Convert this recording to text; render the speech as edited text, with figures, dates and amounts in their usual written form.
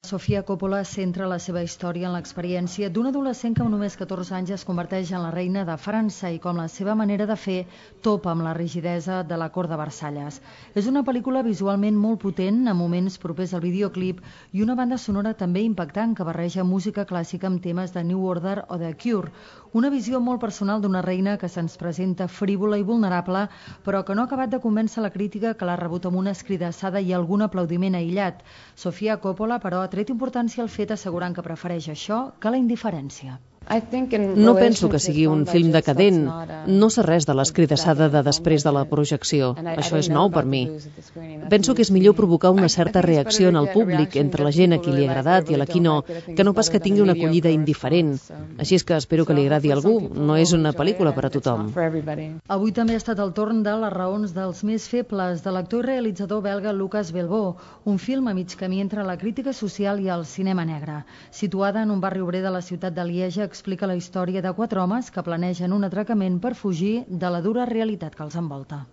Sofia Coppola centra la seva història en l'experiència d'un adolescent que amb només 14 anys es converteix en la reina de França i com la seva manera de fer topa amb la rigidesa de la cort de Versalles. És una pel·lícula visualment molt potent, amb moments propers al videoclip i una banda sonora també impactant que barreja música clàssica amb temes de New Order o de Cure. Una visió molt personal d'una reina que se'ns presenta frívola i vulnerable, però que no ha acabat de convèncer la crítica, que l'ha rebut amb una escridassada i algun aplaudiment aïllat. Sofia Coppola, però, ha tret importància al fet, assegurant que prefereix això que la indiferència. No penso que sigui un film decadent. No sé res de l'escridassada de després de la projecció. Això és nou per mi. Penso que és millor provocar una certa reacció en el públic, entre la gent a qui li ha agradat i a la qui no, que no pas que tingui una acollida indiferent. Així és que espero que li agradi a algú. No és una pel·lícula per a tothom. Avui també ha estat el torn de Les raons dels més febles, de l'actor i realitzador belga Lucas Belvaux, un film a mig camí entre la crítica social i el cinema negre. Situada en un barri obrer de la ciutat de Lieja, explica la història de 4 homes que planegen un atracament per fugir de la dura realitat que els envolta.